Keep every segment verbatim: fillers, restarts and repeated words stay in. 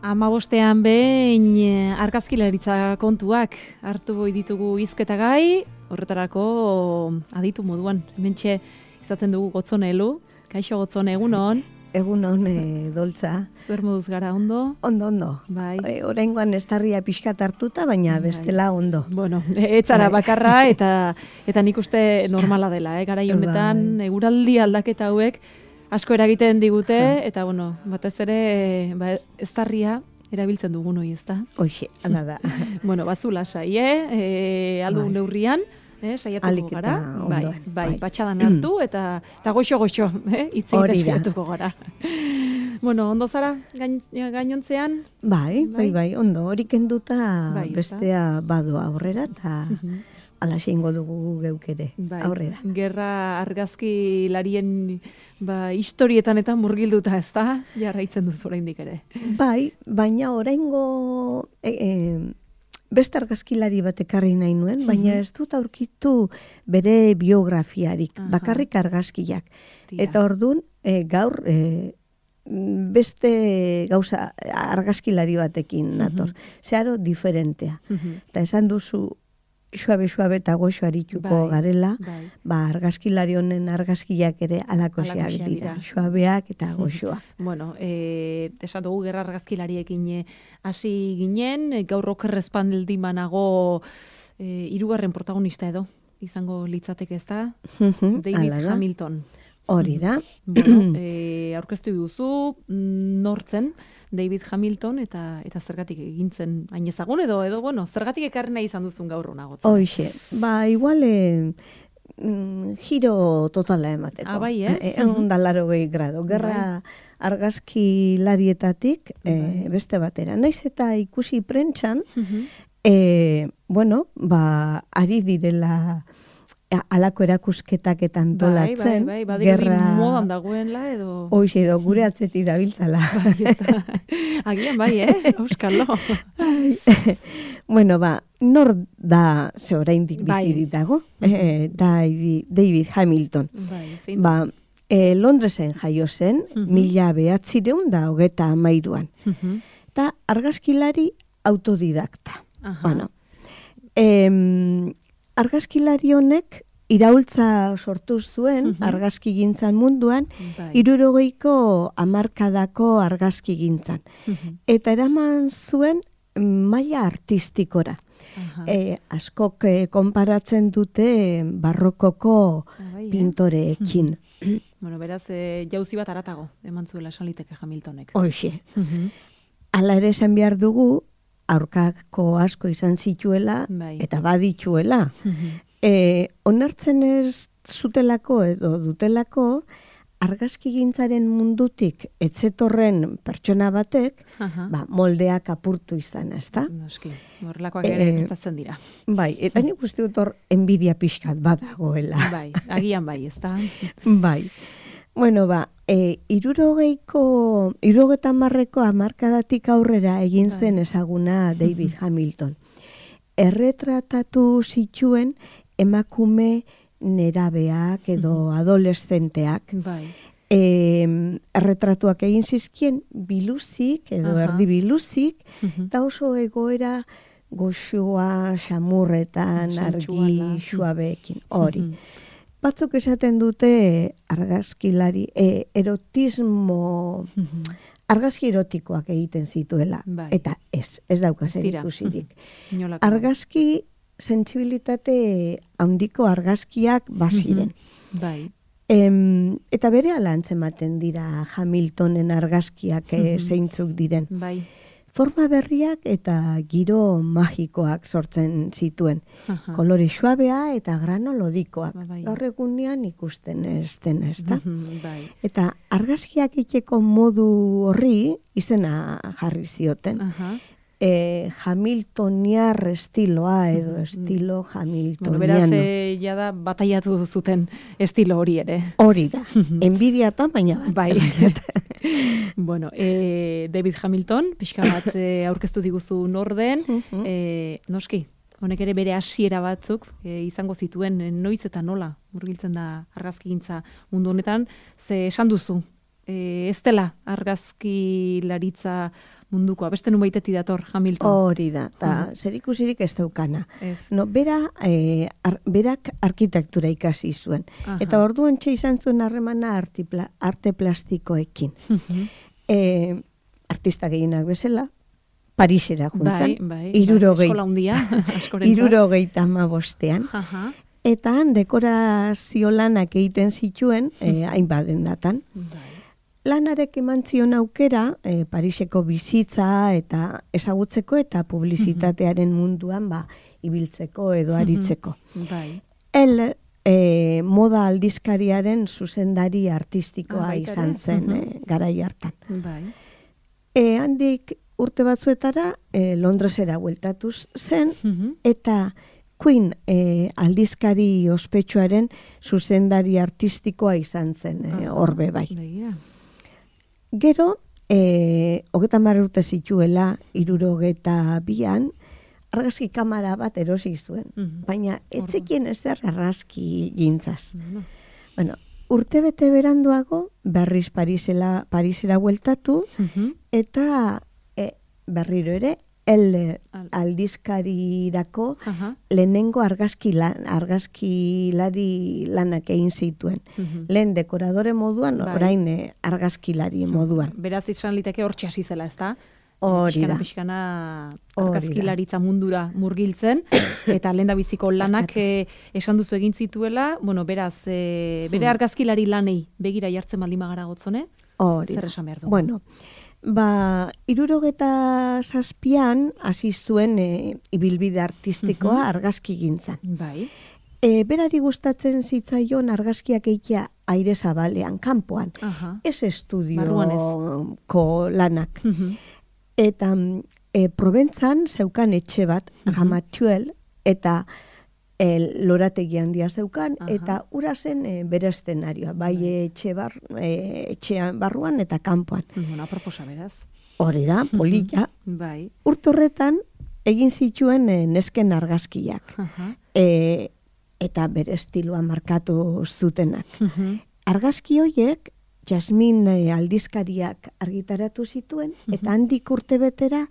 Hamabostean behin argazkilaritza kontuak hartu boi ditugu hizketa gai, horretarako aditu moduan. Hementxe izaten dugu Gotzone Elu. Kaixo Gotzone, egun hon? Egun hon, e, Doltza. Zer moduz gara, ondo? Ondo, ondo. Bai. E, Oraingoan estarria pixkat hartuta, baina bestela ondo. Bueno, etzara bakarra eta eta nik uste normala dela, eh? Garai honetan, Bai. eguraldi aldaketa hauek asko eragiten digute, eta bueno, batez ere ba, eztarria erabiltzen dugun hori, ezta? Hoxe, hala da. Bueno, bazu lasai, eh? E, aldu Bai. neurrian, eh? Saiatuko Aliketa gara. ondo, Bai, bai, bai. patxadan hartu eta eta goxo-goxo, eh? Hitz egiten Hori da. saiatuko gara. Bueno, ondo zara gain, gainontzean? Bai, bai, bai, ondo. Hori kenduta Bai, ezta? bestea badoa aurrera, eta ala ingo dugu geuk ere Bai, aurrera. Gerra argazkilarien ba, historietan eta murgilduta, ez da? Jarraitzen duzu oraindik ere. Bai, baina oraingo e, e, beste argazkilari bat ekarri nahi nuen, baina ez dut aurkitu bere biografiarik, Aha. bakarrik argazkiak. Tira. Eta ordun e, gaur e, beste gauza argazkilari batekin nator. Zeharo diferentea. Mhm. Eta esan duzu suabe-suabe eta goxo arituko Bai, garela, bai. ba argazkilari honen argazkiak ere alakoxeak Halakoxeak dira. dira. Suabeak eta goxoa. Bueno, eh, esan dugu gerra argazkilariekin eh, hasi ginen, eh, gaur okerrezpaldi manago eh, hirugarren protagonista edo, izango litzateke, ez da? David Hala da. Hamilton. Hori da. Bueno, eh, aurkeztu duzu, mm, nortzen David Hamilton eta eta zergatik egintzen hain ezagun edo edo bueno, zergatik ekarri nahi izan duzun gaur hona Gotzone? Hoxe, ba, igual eh, mm, giro totala emateko. Ah, bai, eh? Egun da laro gehi grado. Gerra argazkilarietatik eh, beste batera. Naiz eta ikusi prentxan, Mhm. eh, bueno, ba, ari direla a- halako erakusketak eta antolatzen. Bai, bai, bai, badirudi modan dagoenla edo... Hoxe, edo gure atzetik dabiltzala. Bai, ez da. Agian bai, eh? Euskalo. Ai, bueno, ba, nor da ze oraindik Bai. bizirik dago? Eh, David, David Hamilton. Bai, zein Ba, eh, Londresen jaio zen, Mhm. mila behatzireun da hogeta amairuan. Mhm. Eta argazkilari autodidakta. Aha. Bueno, em, argazkilari honek iraultza sortu zuen Mhm. argazkigintzan munduan, Bai. hirurogeiko hamarkadako argazkigintzan. Mhm. Eta eraman zuen maila artistikora. Aha. E, askok e, konparatzen dute barrokoko Ah, bai, eh? pintoreekin. Bueno, beraz, e, jauzi bat aratago, eman zuela esan liteke Hamiltonek. Hoxe. Mhm. Hala ere esan behar dugu, aurkako asko izan zituela, Bai. eta badituela. Mhm. E, onartzen ez zutelako edo dutelako, argazkigintzaren mundutik etzetorren pertsona batek, Aha. ba, moldeak apurtu izan, ezta? Noski, horrelakoak ere Eh, gertatzen dira. Bai, eta nik uste dut hor enbidia pixkat badagoela. Bai, agian bai, ez da? Bai. Bueno, ba, e, irurogeiko, irurogeta marreko hamarkadatik aurrera egin Bai. zen ezaguna David Hamilton. Erretratatu zituen emakume nerabeak edo adoleszenteak. Bai. E, erretratuak egin zizkien biluzik edo Aha. erdi biluzik, Mhm. eta oso egoera goxoa, xamurretan, argi, Sentsuala. suabeekin, hori. Mhm. Batzuk esaten dute argazkilari, e, erotismo, Mhm. argazki erotikoak egiten zituela. Bai. Eta ez, ez dauka zer Tira. ikusirik. Inolako. Argazki, sentsibilitate handiko argazkiak baziren. Bai. Em, eta bere ala antzematen dira Hamiltonen argazkiak eh, Mhm. zeintzuk diren. Bai. Forma berriak eta giro magikoak sortzen zituen. Aha. Kolore suabea eta granolodikoak. Ba, bai. Gaur egunean ikusten ez dena, ez da? Mhm, Bai. Eta argazkiak iteko modu horri izena jarri zioten. Aha. E, Hamiltoniar estiloa edo Mhm. estilo Bueno, Hamiltoniano. beraz, e, jada bataiatu zuten estilo hori ere. Hori da. Enbidia eta baina bat. Bai. Bueno, e, David Hamilton, pixka bat e, aurkeztu diguzu norden, Mhm. e, noski, honek ere bere hasiera batzuk e, izango zituen, e, noiz eta nola murgiltzen da argazkigintza mundu honetan, ze esan duzu, e, ez dela argazkilaritza mundukoa, beste nubaitetik dator Hamilton. Hori da, eta Mhm. zer ikusirik ez daukana. Ez. No, bera, eh, ar, berak arkitektura ikasi zuen. Aha. Eta orduan txe izan zuen harremana artipla- arte plastikoekin. Mhm. Eh, artista gehienak bezala, Parisera juntzan, Bai, bai. irurogei- Eskola hundia, askorentzat. irurogeita hamabostean. Aha. Eta han dekorazio lanak egiten zituen, eh, hainbat dendatan. Bai. Lanarek eman zion aukera, eh, Pariseko bizitza eta ezagutzeko eta publizitatearen munduan ba, ibiltzeko edo aritzeko. Bai. El eh, moda aldizkariaren zuzendari artistikoa Ah, baita izan ere? zen Mhm. eh, garai hartan. Bai. E, handik urte batzuetara eh, Londresera bueltatuz zen, Mhm. eta Queen eh, aldizkari ospetsuaren zuzendari artistikoa izan zen eh, Ah, horbe bai. Begira. Gero, eh, hogeta hamar urte zituela, irurogeta bian, argazki kamara bat erosi zuen. Mhm. Baina, Orduan. etzekien ez der argazki gintzaz. Bueno. Bueno, urte bete beranduago, berriz Parisela, Parisera bueltatu, Mhm. eta eh, berriro ere, el Al- aldizkarirako Aha. lehenengo argazki lan, argazkilari lanak egin zituen. Mhm. Lehen dekoradore moduan, Bai. orain eh, argazkilari moduan. Beraz izan liteke hortxe hasi zela, ezta? Hori Pixkana, da. pixkana Hori da. argazkilaritza mundura murgiltzen, eta lehen biziko lanak eh, esan duzu egin zituela, bueno, beraz, eh, bere Hmm. argazkilari lanei begira jartzen baldin bagara gotzone, Hori zer da. esan behar dugu? Bueno, ba, irurogeta zazpian hasi zuen eh, ibilbide artistikoa Mhm. argazki gintzan. Bai. E, berari gustatzen zitzaion argazkiak eitea aire zabalean, kanpoan. Aha. Ez Barruan estudioko lanak. Mhm. Eta mm, e, Proventzan zeukan etxe bat, Mhm. Ramatuel, eta e, lorategi handia zeukan, Aha. eta ura zen e, bere eszenarioa, bai Bai. etxe bar, e, etxean barruan eta kanpoan. Bueno, aproposa beraz. Hori da, polita. Bai. Urte horretan egin zituen e, nesken argazkiak, Aha. e, eta bere estiloa markatu zutenak. Mhm. Argazki horiek Jasmin eh, aldizkariak argitaratu zituen, eta handik urte betera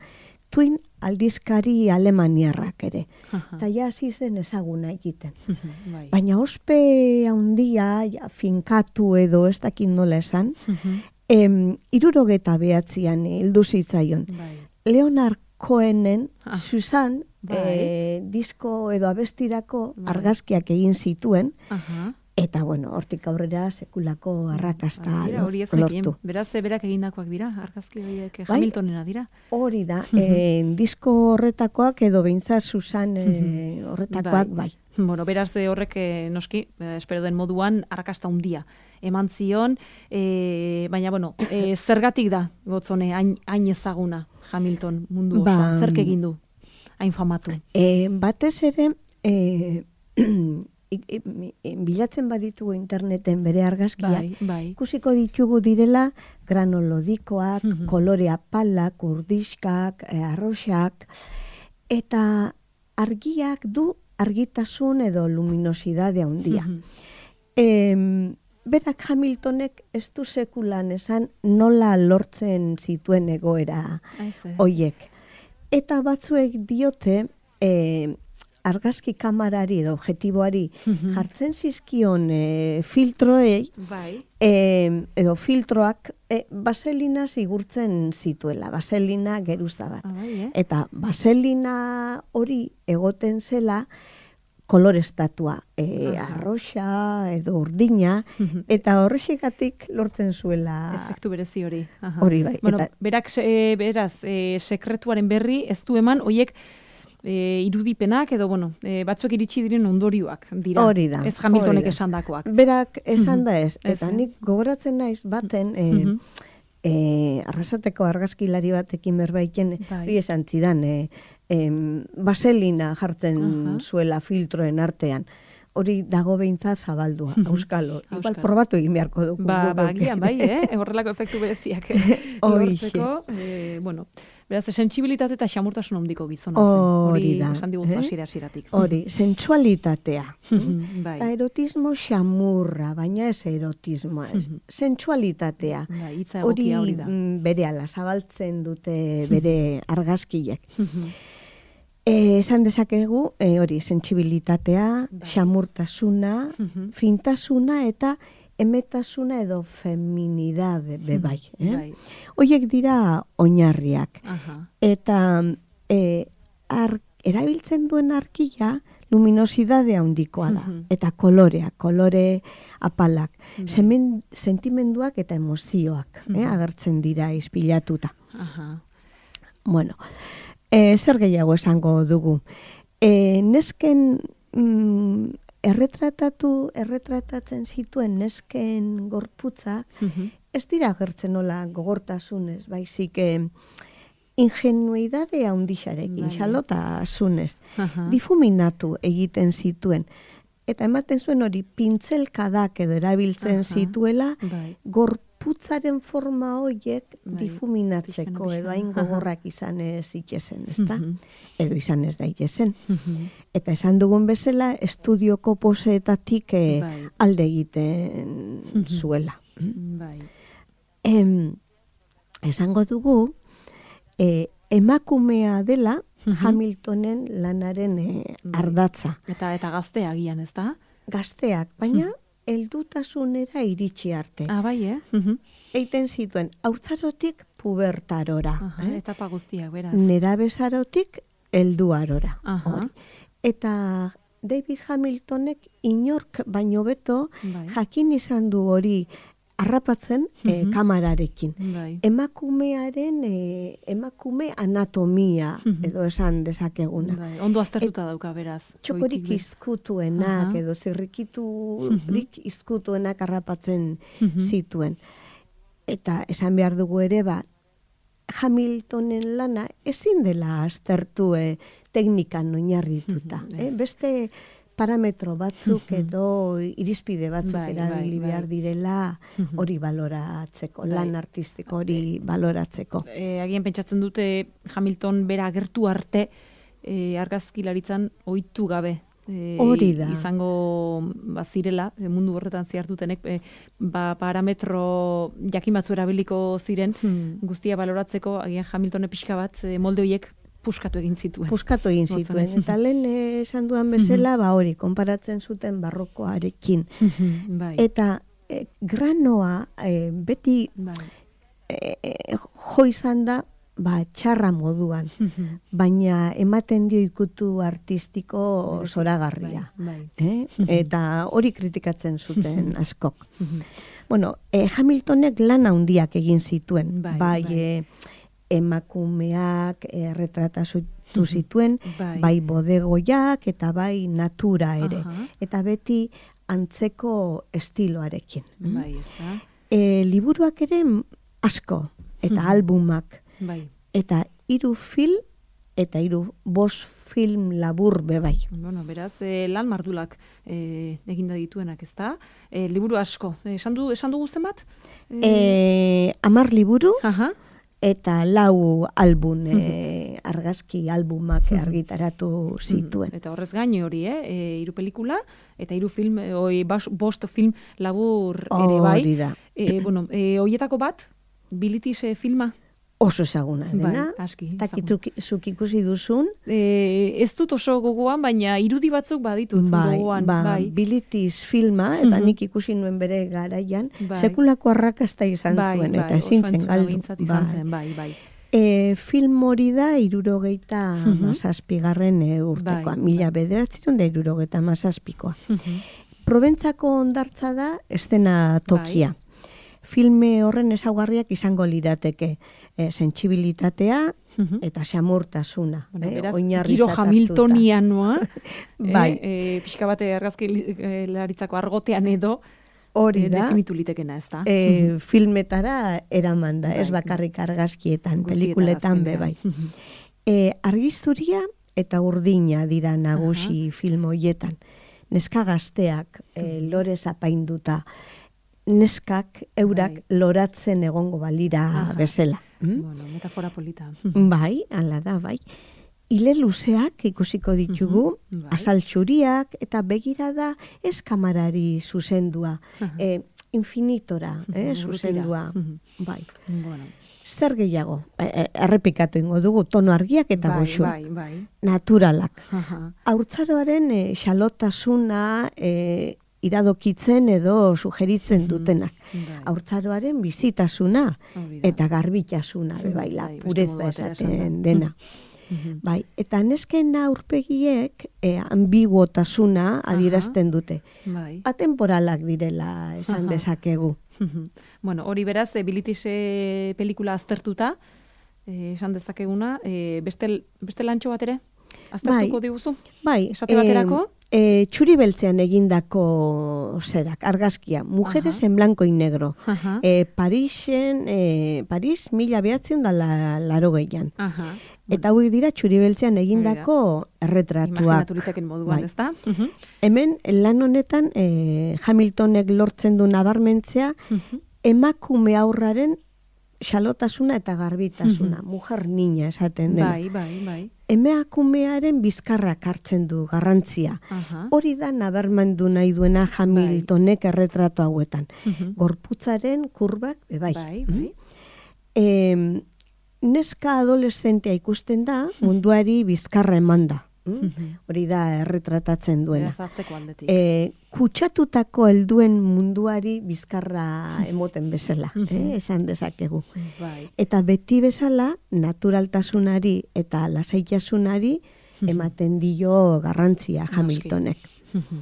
Twin aldizkari alemaniarrak ere. Aha. Eta ja hasi zen ezaguna egiten. Mhm. Bai. Baina ospe handia, ja, finkatu edo ez dakit nola esan, Mhm. em, irurogeta behatzian hildu zitzaion. Bai. Leonard Cohenen, Ah. Susan, Bai. eh, disko edo abestirako Bai. argazkiak egin zituen, Aha. eta bueno, hortik aurrera sekulako arrakasta Begira, hori ez lor- nekien. lortu. Beraz, eh, berak egindakoak dira, argazki horiek eh, Bai. Hamiltonena dira. Hori da, eh, disko horretakoak edo behintzat Susan eh, horretakoak bai. Bueno, beraz eh, horrek eh, noski, eh, espero den moduan, arrakasta handia eman zion, eh, baina, bueno, eh, zergatik da, gotzone, hain, hain ezaguna Hamilton mundu Ba, osoan, zerk egin du, hain famatu. Eh, batez ere, eh, i- i- i- bilatzen baditugu interneten bere argazkiak, Bai, bai. ikusiko ditugu direla granolodikoak, Mhm. kolore apalak, urdiskak, eh, arroxak, eta argiak du argitasun edo luminosidade handia. Mhm. Em, berak Hamiltonek ez du sekulan esan nola lortzen zituen egoera Aize. hoiek. Eta batzuek diote eh, argazki kamarari edo objektiboari Mhm. jartzen zizkion eh, filtroei Bai. eh, edo filtroak eh, baselina zigurtzen zituela, baselina geruza bat. Ah, bai, eh? Eta baselina hori egoten zela kolorestatua, e, Aha. arroxa edo urdina, Mhm. eta horrexegatik lortzen zuela Efektu berezi hori. Aha. hori bai. Bueno, Eta, berak, se- beraz, e, sekretuaren berri ez du eman, hoiek e, irudipenak edo, bueno, e, batzuek iritsi diren ondorioak dira. Hori da, Ez Hamiltonek hori da. esandakoak. berak esan da ez, Ez, eta eh? nik gogoratzen naiz baten, e, Mhm. e, arrasateko argazkilari batekin berbaiten, Bai. hori esan zidan, e, em, baselina jartzen Aha. zuela filtroen artean. hori dago behintzat zabaldua, auskalo. Igual Auskalo. probatu egin beharko dugu. Ba, guk ba, geuk. agian bai, eh? Horrelako efektu bereziak lortzeko. Eh, bueno, beraz, sentsibilitate eta xamurtasun handiko gizona zen. Hori da. Esan diguzu eh? hasiera-hasieratik. Hori, sensualitatea. Bai. Eta erotismo xamurra, baina ez erotismoa. ez. Sensualitatea. Bai, hitza Hori egokia hori da. mm, berehala zabaltzen dute bere argazkiek. Eh, esan dezakegu, eh, hori, sentsibilitatea, Bai. xamurtasuna, Mhm. fintasuna eta emetasuna edo feminidade bebai. Eh? Bai. Hoiek dira oinarriak. Aha. Eta eh, ar, erabiltzen duen arkia luminosidade handikoa da. Mhm. Eta kolorea, kolore apalak. Bai. Semen, sentimenduak eta emozioak eh, Mhm. agertzen dira izpilatuta. Aha. Bueno, e, zer gehiago esango dugu. E, nesken mm, erretratatu, erretratatzen zituen nesken gorputzak, Mhm. ez dira agertzen nola gogortasunez, baizik e, ingenuidade handixarekin, Bai. xalotasunez, Aha. difuminatu egiten zituen. Eta ematen zuen hori pintzelkadak edo erabiltzen Aha. zituela, Bai. gorputzaren forma horiek Bai, difuminatzeko pixkana, edo hain pixkana. gogorrak izan ez itxesen, ezta? Mhm. Edo izan ez daitezen. Mhm. Eta esan dugun bezala, estudioko poseetatik eh, Bai. alde egiten Mhm. zuela. Bai. Em, esango dugu, eh, emakumea dela Mhm. Hamiltonen lanaren eh, Bai. ardatza. Eta eta gaztea agian, ez da? Gazteak, baina heldutasunera iritsi arte. Ah, bai, eh? Mhm. Eiten zituen, haurtzarotik pubertarora. Aha, eh? etapa guztiak, beraz. Nerabezarotik helduarora. Aha. Hori. Eta David Hamiltonek inork baino beto Bai. jakin izan du hori harrapatzen eh, Mhm. kamararekin. Bai. Emakumearen eh, emakume anatomia Mhm. edo esan dezakeguna. Bai. Ondo aztertuta dauka, beraz. Txokorik Goitik be- izkutuenak Aha. edo zirrikiturik izkutuenak harrapatzen Mhm. zituen. Eta esan behar dugu ere, ba, Hamiltonen lana ezin dela aztertu eh, teknikan oinarrituta. Mhm, eh? ez. Beste parametro batzuk Mhm. edo irizpide batzuk Bai, erabili bai, behar bai. direla Mhm. hori baloratzeko, Bai. lan artistiko hori baloratzeko. E, agian pentsatzen dute Hamilton bera agertu arte e, argazkilaritzan ohitu gabe. E, Hori da. Izango bazirela, e, mundu horretan ziartutenek, e, ba, parametro jakin batzu erabiliko ziren, Hmm. guztia baloratzeko, agian Hamiltone pixka bat, e, molde horiek puskatu egin zituen. Puskatu egin Gotzone. zituen. Eta lehen eh, esan duan bezala, ba hori, konparatzen zuten barrokoarekin. bai. Eta eh, granoa eh, beti bai. eh, eh, jo izan da, ba, txarra moduan, baina ematen dio ikutu artistiko Berezi, zoragarria. Bai, Eh? Eta hori kritikatzen zuten askok. bai. Bueno, eh, Hamiltonek lan handiak egin zituen. Bai, Bai, bai. eh, emakumeak erretratatu zituen, Bai. bai bodegoiak eta bai natura ere. Aha. Eta beti antzeko estiloarekin. Bai, ez da? E, liburuak ere asko, eta Mhm. albumak, Bai. eta hiru film, eta hiru bost film labur bebai. Bueno, beraz, eh, lan mardulak eh, eginda dituenak, ez da? Eh, liburu asko. Eh, esan, du, esan dugu zenbat? E, amar liburu, Aha. eta lau album, e, argazki albumak argitaratu zituen. Eta horrez gain hori, eh? E, hiru pelikula, eta hiru film, e, oi, bas, bost film labur ere bai. Hori da. E, bueno, e, hoietako bat, Bilitis eh, filma. Oso ezaguna dena. Bai, aski, Eta ezaguna. zuk ikusi duzun, E, ez dut oso gogoan, baina irudi batzuk baditut bai, gogoan. ba, bai. Bilitis filma, eta Mhm. nik ikusi nuen bere garaian, Bai. sekulako arrakasta izan bai, zuen, bai, eta ezin oso zen entzuna galdu. behintzat izan Bai. zen, bai, bai. E, film hori da irurogeita Mhm. mazazpigarren e, urtekoa, Bai, mila bederatziron da irurogeita mazazpikoa. Mhm. Probentzako hondartza da estena tokia. Bai. Filme horren ezaugarriak izango lirateke e, sentsibilitatea Mhm. eta xamurtasuna. Bueno, eh, beraz, oinarritzat giro hartuta. Hamiltonianoa, Bai. eh, pixka bate argazkilaritzako argotean edo, Hori eh, da, definitu litekena, ez da? e, filmetara eraman da, ez Bai. bakarrik argazkietan, Guztietara pelikuletan be azkenean. bai. E, argizuria eta urdina dira nagusi film hoietan. neska gazteak e, lorez apainduta, neskak eurak bai. loratzen egongo balira Aha. bezala. Mm? Bueno, metafora polita. Bai, hala da, bai. Ile luzeak ikusiko ditugu, Mhm, bai. azal txuriak, eta begirada ez kamarari zuzendua, Aha. e, infinitora, eh, Urrutira. zuzendua, Mhm. bai. Bueno, Zer gehiago, e, e, errepikatu ingo dugu, tono argiak eta bai, goxuak, bai, bai. naturalak. Aha. Haurtzaroaren e, xalotasuna e, iradokitzen edo sugeritzen dutenak. Bai. Haurtzaroaren bizitasuna Hori da. eta garbitasuna, Mhm, bebaila, bai, beste pureza modu batera esaten esanda. dena. Mhm. Bai, eta nesken aurpegiek e, ambiguotasuna adierazten dute. Bai. Atemporalak direla esan Aha. dezakegu. Bueno, hori beraz, e, Bilitise pelikula aztertuta, eh, esan dezakeguna, eh, beste, beste lantxo bat ere? Aztertuko Bai. diguzu? Bai, Esate baterako? E, e, txuri beltzean egindako zerak, argazkia, mujeres Aha. en blanco y negro. Aha. E, Parisen, e, Paris mila behatzen da la, laro gehian. Aha. Eta hauek dira txuri beltzean egindako erretratuak. Imaginatu liteken moduan, Bai. ezta? Mhm. Hemen, lan honetan, e, Hamiltonek lortzen du nabarmentzea, Mhm. emakume aurraren xalotasuna eta garbitasuna, mujer niña esaten dena. Bai, bai, bai. Emakumearen bizkarrak hartzen du garrantzia. Aha. Hori da nabarmendu nahi duena Hamiltonek erretratu hauetan. Mhm. Gorputzaren kurbak, be bai. Bai, bai. E, neska adoleszentea ikusten da, munduari bizkarra eman da. Mhm. Hori da erretratatzen duena. Beraz atzeko aldetik. E, kutsatutako helduen munduari bizkarra emoten bezala, eh, esan dezakegu. Bai. Eta beti bezala, naturaltasunari eta lasaitasunari ematen dio garrantzia Hamiltonek. Mhm.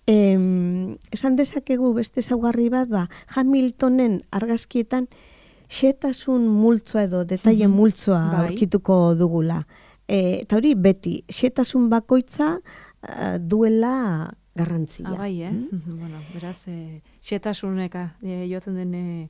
Em, esan dezakegu beste ezaugarri bat, ba, Hamiltonen argazkietan xetasun multzoa edo detaile multzoa Bai. aurkituko dugula. E, eta hori beti, xetasun bakoitza eh, duela garrantzia. Ah, bai, eh? Mhm, Bueno, beraz, eh, xetasuneka eh, joaten den eh,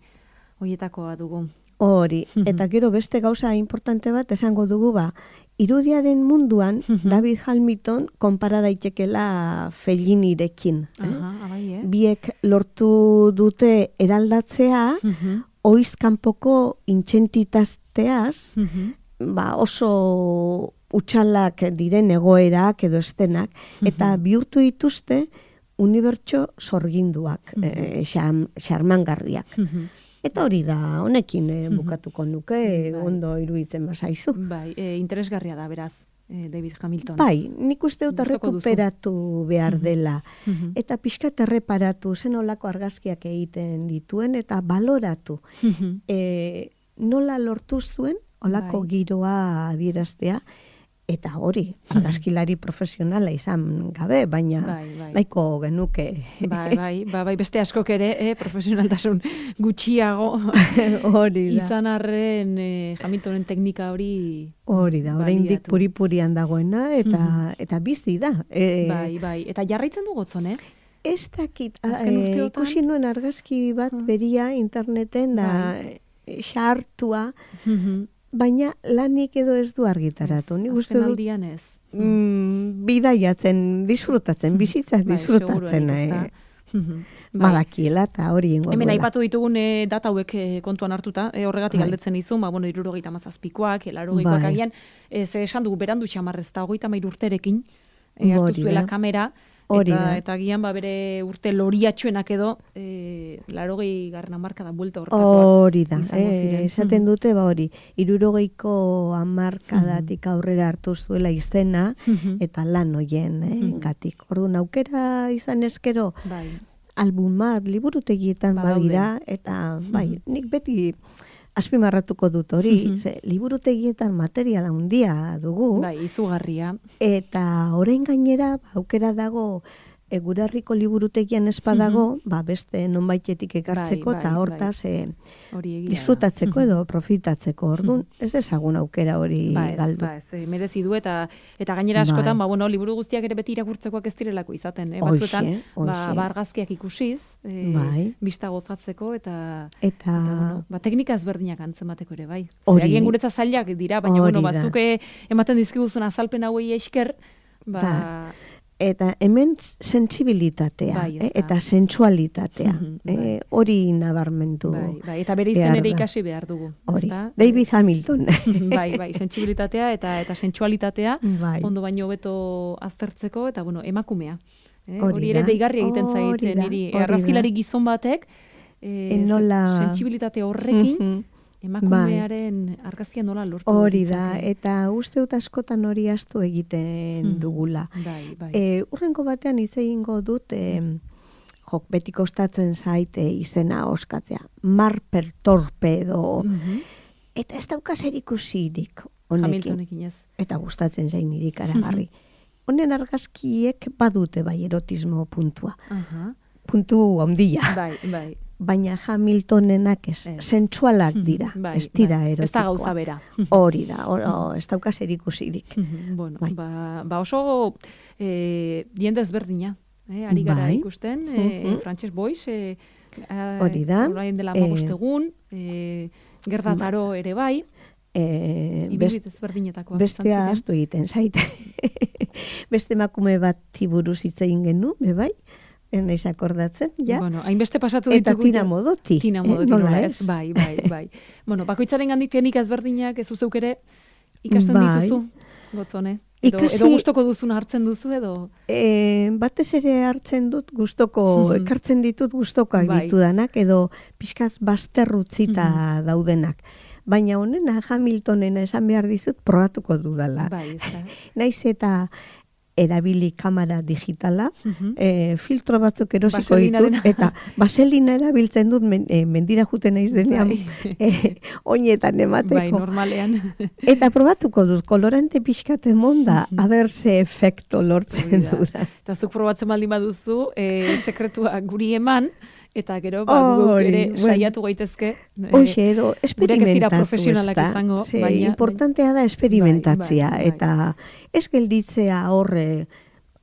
hoietakoa dugu. Hori, eta gero beste gauza importante bat esango dugu ba, irudiaren munduan David Hamilton konpara daitekela Fellinirekin. Eh? Aha, ah, bai, eh? Biek lortu dute eraldatzea, Mhm, oizkanpoko intxentitateaz, mhm. ba, oso utxalak diren egoerak edo estenak, eta bihurtu dituzte unibertso sorginduak, eh, xam- xarmangarriak. Mhm. Eta hori da, honekin eh, bukatuko nuke, Bai. ondo iruditzen bazaizu. Bai, eh, interesgarria da, beraz, eh, David Hamilton. Bai, nik uste dut Gustoko duzu. errekuperatu behar dela. Mhm. Eta pixkat erreparatu, zen olako argazkiak egiten dituen, eta baloratu. Mhm. E, nola lortu zuen, olako Bai. giroa adieraztea, eta hori, argazkilari profesionala izan gabe, baina Bai, bai. nahiko genuke. Bai, bai, ba, bai, beste askok ere, eh, profesionaltasun gutxiago Hori da. izan arren eh, Hamiltonen teknika hori Hori da, oraindik baliatu. puri-purian dagoena, eta, eta bizi da. E, Bai, bai, eta jarraitzen du gotzon, eh? Ez dakit, Azken eh, urteotan? ikusi nuen argazki bat beria interneten da eh, xartua, Mhm. baina lanik edo ez du argitaratu. Nik uste Azken dut aldian ez. mm, bidaiatzen, disfrutatzen, bizitza Bai, disfrutatzen. seguruenik, eh, ezta? Mhm. Bai. Badakiela eta hori ingo Hemen duela. aipatu ditugun e, data hauek e, kontuan hartuta, e, horregatik Bai. galdetzen dizu, ba, bueno, irurogeita hamazazpikoak, laurogeikoak Bai. agian, e, ze esan dugu berandu txamarrez, eta hogeita hamairu urterekin, e, hartu Hori zuela da. kamera, Hori eta, da. eta agian ba, bere urte loriatxoenak edo, e, laurogei garren hamarka da buelta horretakoak. Hori da, izango eh, ziren. esaten Mhm. dute, ba hori, irurogeiko hamarkadatik aurrera hartu zuela izena, Mhm. eta lan hoien eh, gatik. Orduan aukera izan eskero, Bai. album bat, liburutegietan Badaude. badira, eta bai, nik beti azpimarratuko dut hori, ze, liburutegietan materiala handia dugu, Bai, izugarria. eta orain gainera ba, aukera dago e, gure herriko liburutegian espadago, ba, beste nonbaitetik ekartzeko, Bai, eta bai, hortaz e, Hori egia da. disfrutatzeko edo profitatzeko. Orduan, ez dezagun aukera hori Ba ez, galdu. ba ez, eh, merezi du eta eta gainera askotan, ba bueno, liburu guztiak ere beti irakurtzekoak ez direlako izaten, eh? Batzuetan Hoxe, ba, hoxe. ba argazkiak ikusiz, eh, Bai. bista gozatzeko eta Eta, eta bueno, ba teknika ezberdinak antzemateko ere bai. Hori. Agian guretzat zailak dira, baina Hori bueno, da. bazuke ematen dizkiguzun azalpen hauei esker, ba Ba, Eta hemen sentsibilitatea, Bai, ez eh, da. eta sensualitatea. Bai. eh, hori nabarmendu. Bai, bai, eta bere izen behar ere da. ikasi behar dugu. Hori, ezta? David Hamilton. bai, bai, sentsibilitatea eta eta sensualitatea Bai. ondo baino hobeto aztertzeko eta bueno, emakumea. Eh? Hori Hori ere da, deigarri egiten hori zaite da, niri. hori da. Argazkilari gizon batek eh, E, nola- sentsibilitate horrekin Mhm. emakumearen argazkia nola lortu Hori da, ditzake. eta uste dut askotan hori astu egiten Mhm. dugula. Bai, bai. E, urrengo batean hitz egingo dut, e, jok, beti kostatzen zaite izena oskatzea. Marper torpedo. Mhm. Eta ez dauka zer ikusirik honekin. Hamiltonekin ez. Eta gustatzen zain niri karagarri. Honen argazkiek badute bai erotismo puntua. Aha. Puntu handia. Bai, bai. Baina Hamiltonenak ez, Ez. sentsualak dira, Bai, ez dira bai. erotikoak. Ez da gauza bera. Hori da, hor- hor, ez dauka zer ikusirik. bueno, Bai. ba, ba oso eh, diende ezberdina. Eh, ari gara Bai. ikusten, eh, Mhm. Frances Boyce, eh, eh, Hori da. orain dela Eh, hamabost egun, eh, Gerda Taro ere bai, E, ibilbide ezberdinetakoak. bestea izan ziren. astu egiten zait. Beste emakume bat buruz hitz egin genuen, be bai, naiz akordatzen, ja. Bueno, hainbeste pasatu Eta ditugu. Tina Modoti. Tina eh, Modoti, nola nola ez? ez? Bai, bai, bai. bueno, bakoitzaren gandik teknika ezberdinak ez zeuk ere ikasten Bai. dituzu, gotzone. Edo, Ikasi- edo gustoko duzuna hartzen duzu edo... E, batez ere hartzen dut gustoko, Mhm. ekartzen ditut gustokoak Bai. ditudanak, edo pixkaz bazterrutzita daudenak. Baina honena Hamiltonena esan behar dizut probatuko dudala. Bai, ez da. Naiz eta erabili kamera digitala, Mhm. e, filtro batzuk erosiko Vaselinarena. ditut, eta vaselina erabiltzen dut men, e, mendira juten naiz denean, Bai. e, oinetan emateko. Bai, normalean. Eta probatuko dut, kolorante pixkat emonda, aber ze efekto lortzen Hori da. dudan. Eta zuk probatzen baldin baduzu, eh, sekretua guri eman, eta gero, ba, guk Hori, ere bueno. saiatu gaitezke. eh, Hoxe, edo, gureak ez dira esperimentatu, profesionalak ezta? izango, Ze, baina- importantea da esperimentatzea, Bai, bai, bai. eta ez gelditzea horre,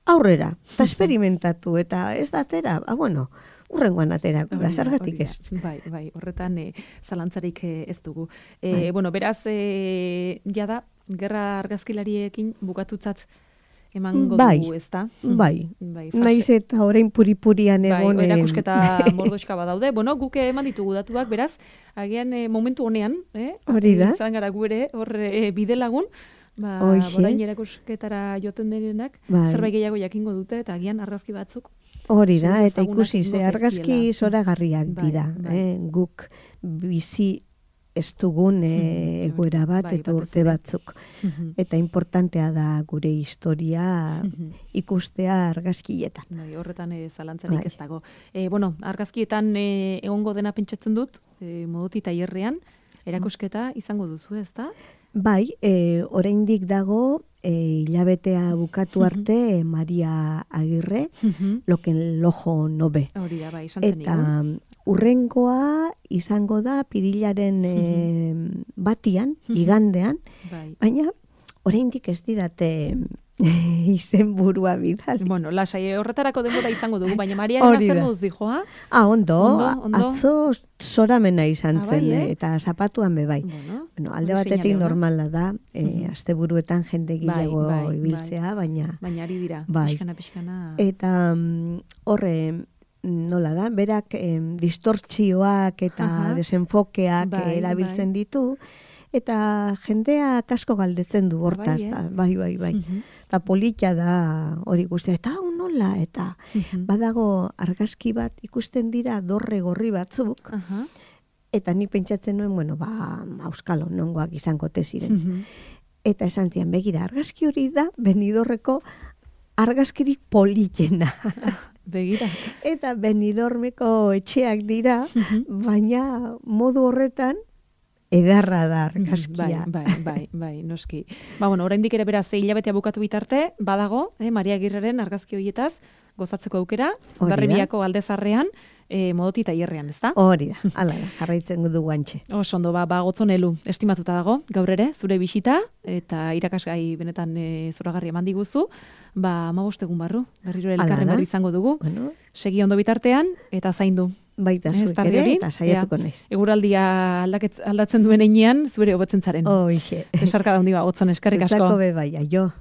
aurrera, eta esperimentatu, eta ez da atera, ah, bueno, urrengoan aterako da, Hori da, zergatik hori da. ez. Bai, bai, horretan eh, zalantzarik eh, ez dugu. Eh, Bai. Bueno, beraz, eh, jada, gerra argazkilariekin bukatutzat emango Bai, dugu, ezta? bai. Bai, fase- Naiz eta orain puripurian Bai, egon. em, erakusketa mordoxka badaude. Bueno, guk eman ditugu datuak, beraz, agian eh, momentu honean, eh? Hori da. Izan gara gu ere, hor eh, bide lagun, ba, Hoxe. orain erakusketara joten denenak, Bai. zerbait gehiago jakingo dute, eta agian argazki batzuk. Hori da, Seguru eta ezagunak ikusi ze egingo argazki zaizkiela. zoragarriak Bai, dira. bai. Eh? Guk bizi ez dugun eh, Mhm, egoera bat bai, eta batez urte ere. batzuk. Eta importantea da gure historia Mhm. ikustea argazkietan. Bai, horretan eh, zalantzarik Bai. ez dago. E, bueno, argazkietan eh, egongo dena pentsatzen dut, e, modoti tailerrean, erakusketa izango duzu, ezta? Bai, e, oraindik dago e, hilabetea bukatu arte Maria Agirre, loken lojo nobe. Hori da, bai, esan zen Eta urrengoa izango da pirilaren e, batian, Mhm. igandean, bai. baina oraindik ez didate izenburua bidal. Bueno, lasai horretarako denbora izango dugu, baina Mariaren Hori zer da. moduz dijoa? Ah, ondo, Ondo, ondo. atzo zoramena izan Ah, bai, zen, eh? eta zapatuan be bai. Bueno, Bueno, alde hori batetik seinale ona. normala da, e, Mhm. asteburuetan jende Bai, gehiago bai, ibiltzea, baina Baina ari dira, Bai. pixkana, pixkana. eta mm, horre nola da, berak em, distortzioak eta Aha. desenfokeak Bai, eh, erabiltzen bai. ditu, eta jendea kasko galdetzen du Ah, hortaz, bai, eh? da, bai, bai, bai. Mhm, Eta polita da hori guztia, eta hau nola, eta mhm. badago argazki bat ikusten dira dorre gorri batzuk, Aha. eta nik pentsatzen nuen, bueno, ba, auskalo, nongoak izango te ziren. Mhm. Eta esan zian, begira, argazki hori da, Benidorreko argazkirik politena. Begira. Eta Benidormeko etxeak dira, Mhm. baina modu horretan edarra da argazkia. Bai, bai, bai, bai, noski. Ba, bueno, oraindik ere beraz, hilabetea bukatu bitarte, badago, eh, Maria Agirreren argazki horietaz, gozatzeko aukera, Hori da. Hondarribiako aldezarrean, eh, modoti tailerrean, ezta? Hori da, hala da, jarraitzen du guantxe. Oso ondo, ba, ba gotzonelu, estimatuta dago, gaur ere, zure bisita, eta irakasgai benetan e, zoragarri eman diguzu, ba, amabost egun barru, berriro Hala elkarren da. berri izango dugu, Bueno, segi ondo bitartean, eta zaindu. baita Eh, zuek eztarri ere, hori, eta saiatuko ea, naiz. Eguraldia aldaketz- aldatzen duen einean, zure hobetzen zaren. Hoxe. Besarka da handi ba, gotzon eskerrik asko. Zutzako be bai, aio.